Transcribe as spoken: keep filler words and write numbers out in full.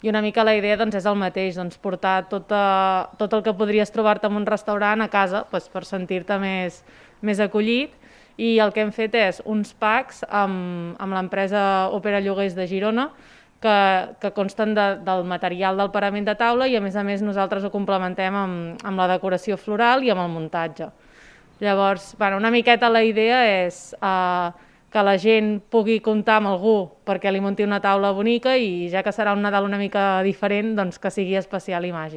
i una mica la idea doncs, és el mateix, doncs, portar tot, a, tot el que podries trobar-te en un restaurant a casa doncs, per sentir-te més, més acollit, i el que hem fet és uns packs amb, amb l'empresa Òpera Lloguers de Girona, que, que consten de, del material del parament de taula i a més a més nosaltres ho complementem amb, amb la decoració floral i amb el muntatge. Llavors, bueno, una miqueta la idea és eh, que la gent pugui comptar amb algú perquè li munti una taula bonica i ja que serà un Nadal una mica diferent, doncs que sigui especial i màgic.